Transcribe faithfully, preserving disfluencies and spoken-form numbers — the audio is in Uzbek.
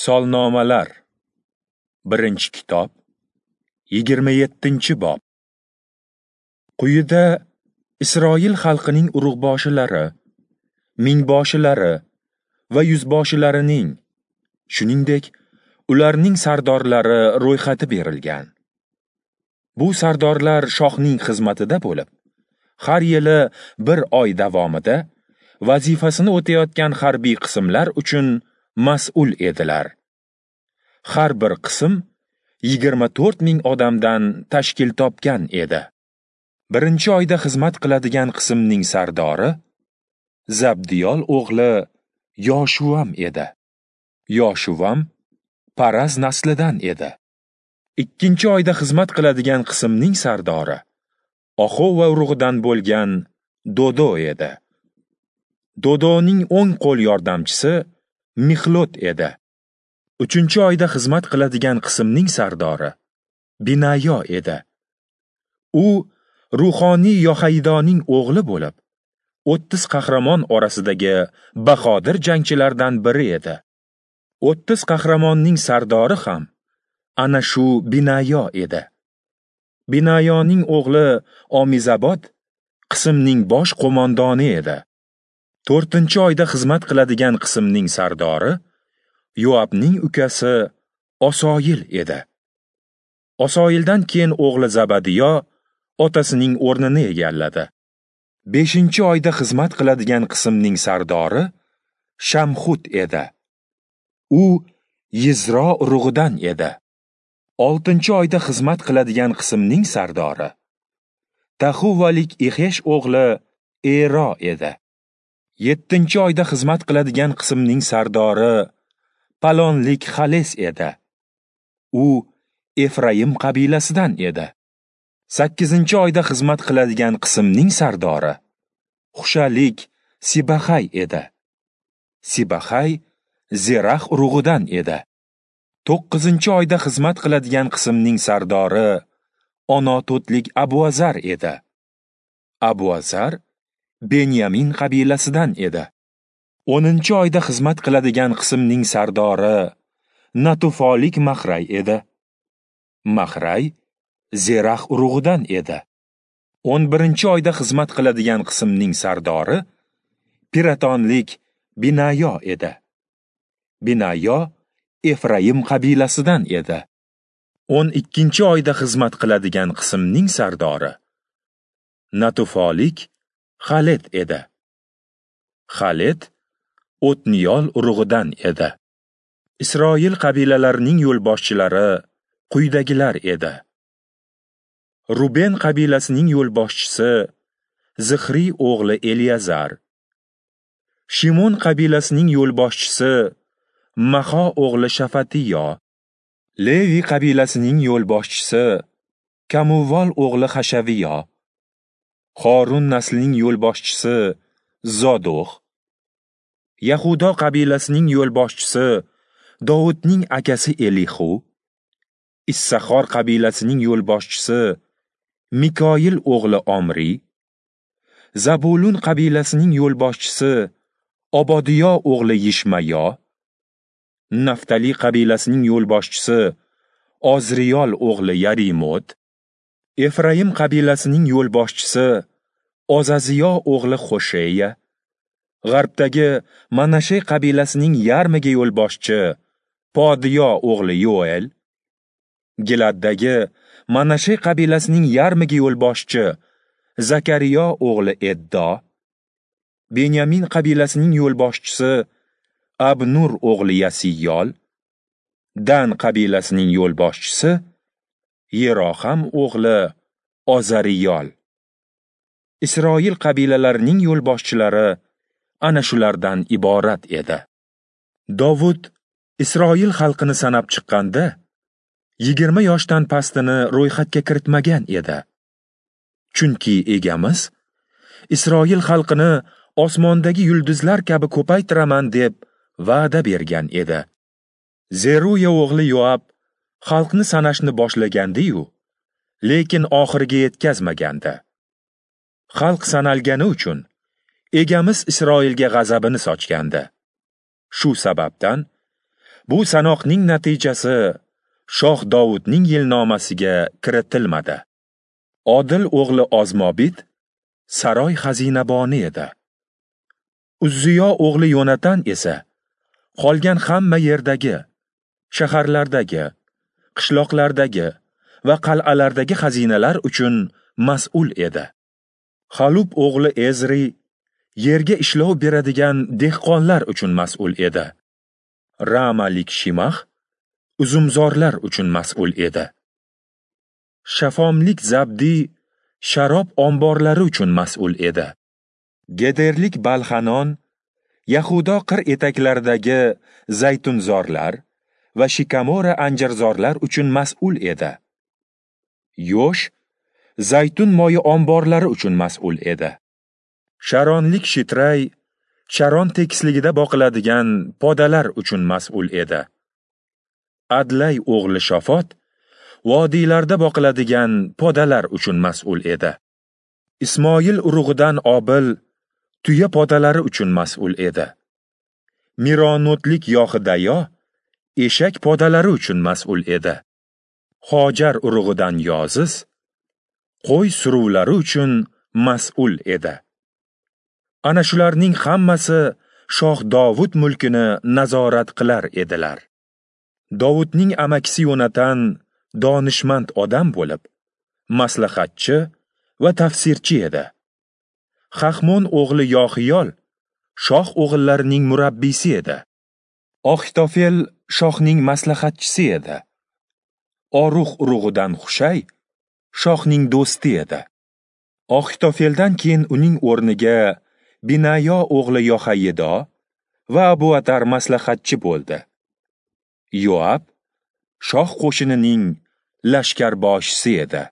Solnomalar, birinchi kitob, yigirma yettinchi bob. Quyida Isroil xalqining urug'boshilari, mingboshilari va yuzboshilarining, shuningdek, ularning sardorlari ro'yxati berilgan. Bu sardorlar shohning xizmatida bo'lib, har yili bir oy davomida vazifasini o'tayotgan harbiy qismlar uchun mas'ul edilar. Har bir qism yigirma to'rt ming odamdan tashkil topgan edi. Birinchi oyda xizmat qiladigan qismning sardori Zabdiyol o'g'li Yoshuvam edi. Yoshuvam Paraz naslidan edi. Ikkinchi oyda xizmat qiladigan qismning sardori Axova urug'idan bo'lgan Dodo edi. Dodoning o'ng qo'l yordamchisi Mixlot edi. Uchinchi oyda xizmat qiladigan qismning sardori Binayo edi. U ruhoniy Yohaydoning o'g'li bo'lib, o'ttiz qahramon orasidagi bahodir jangchilardan biri edi. O'ttiz qahramonning sardori ham ana shu Binayo edi. Binayoning o'g'li Omizabod qismning bosh qo'mondoni edi. To'rtinchi oyda xizmat qiladigan qismning sardori Yoabning ukasi Osoyil edi. Osoyildan keyin o'g'li Zabadiyo otasining o'rnini egalladi. Beshinchi oyda xizmat qiladigan qismning sardori Shamxut edi. U Yizro urug'idan edi. Oltinchi oyda xizmat qiladigan qismning sardori Taxuvalik Ixesh o'g'li Ero edi. Yettinchi oyda xizmat qiladigan qismning sardori Palonlik Xales edi. U Efraim qabilasidan edi. Sakkizinchi oyda xizmat qiladigan qismning sardori Xushalik Sibaxay edi. Sibaxay Zerax urug'idan edi. To'qqizinchi oyda xizmat qiladigan qismning sardori Onototlik Abuazar edi. Abuazar Benyamin qabilasidan edi. O'ninchi oyda xizmat qiladigan qismning sardori Natufolik Mahray edi. Mahray Zerax urug'idan edi. O'n birinchi oyda xizmat qiladigan qismning sardori Piratonlik Binayo edi. Binayo Efraim qabilasidan edi. O'n ikkinchi oyda xizmat qiladigan qismning sardori Natufolik Xalet edi. Xalet O'tniyol urug'idan edi. Isroil qabilalarining yo'lboshchilari quyidagilar edi. Ruben qabilasining yo'lboshchisi Zixriy o'g'li Eliyazar, Shimon qabilasining yo'lboshchisi Maho o'g'li Shafatiyo, Levi qabilasining yo'lboshchisi Kamuvol o'g'li Hashaviyo, Xorun naslining yo'lboshchisi Zodoq, Yahudo qabilasining yo'lboshchisi Dovudning akasi Elihu, Issaxor qabilasining yo'lboshchisi Mikoyil o'g'li Omri, Zabulun qabilasining yo'lboshchisi Obodiyo o'g'li Yishmayo, Naftali qabilasining yo'lboshchisi Ozriyol o'g'li Yarimot, Efraim qabilasining yo'lboshchisi Ozaziyo o'g'li Xosheya, G'arbdagi Manashe qabilasining yarmiga yo'lboshchi Podiyo o'g'li Yoel, Giladdagi Manashe qabilasining yarmiga yo'lboshchi Zakariyo o'g'li Eddo, Benyamin qabilasining yo'lboshchisi Abnur o'g'li Yasiyol, Dan qabilasining yo'lboshchisi Yeroham o'g'li Ozariyol. Isroil qabilalarining yo'lboshchilari ana shulardan iborat edi. Dovud Isroil xalqini sanab chiqqanda yigirma yoshdan pastini ro'yxatga kiritmagan edi. Chunki egamiz Isroil xalqini osmondagi yulduzlar kabi ko'paytiraman deb va'da bergan edi. Zeruya o'g'li Yoab xalqni sanashni boshlagandi-yu, lekin oxiriga yetkazmagandi. Xalq sanalgani uchun egamiz Isroilga g'azabini sochgandi. Shu sababdan Bu sanoqning natijasi shoh Dovudning yilnomasiga kiritilmadi. Odil o'g'li Ozmobit saroy xazinaboni edi. Uzziyo o'g'li Yonatan esa qolgan hamma yerdagi, shaharlardagi, qishloqlardagi va qal'alardagi xazinalar uchun mas'ul edi. Xalub o'g'li Ezri yerga ishlov beradigan dehqonlar uchun mas'ul edi. Ramalik Shimax uzumzorlar uchun mas'ul edi. Shafomlik Zabdi sharob omborlari uchun mas'ul edi. Gederlik Balhanon Yahudo qir etaklaridagi zaytunzorlar va shikamora anjirzorlar uchun mas'ul edi. Yosh zaytun moyi omborlari uchun mas'ul edi. Sharonlik Shitray Sharon tekisligida boqiladigan podalar uchun mas'ul edi. Adlay o'g'li Shofot vodiylarda boqiladigan podalar uchun mas'ul edi. Ismoil urug'idan Obil tuya podalari uchun mas'ul edi. Mironotlik Yohidayo eshak podalari uchun mas'ul edi. Hojar urug'idan Yoziz qo'y suruvlari uchun mas'ul edi. Ana shularning hammasi shoh Dovud mulkini nazorat qilar edilar. Dovudning amakisi Yonatan donishmand odam bo'lib, maslahatchi va tafsirchi edi. Hahmon o'g'li Yoxiyol shoh o'g'illarining murabbiysi edi. Axitofel shohning maslahatchisi edi. Oruh urug'idan Hushay shohning do'sti edi. Axitofeldan keyin uning o'rniga Binayo o'g'li Yohayido va Abuatar maslahatchi bo'ldi. Yoab shoh qo'shinining lashkarboshisi edi.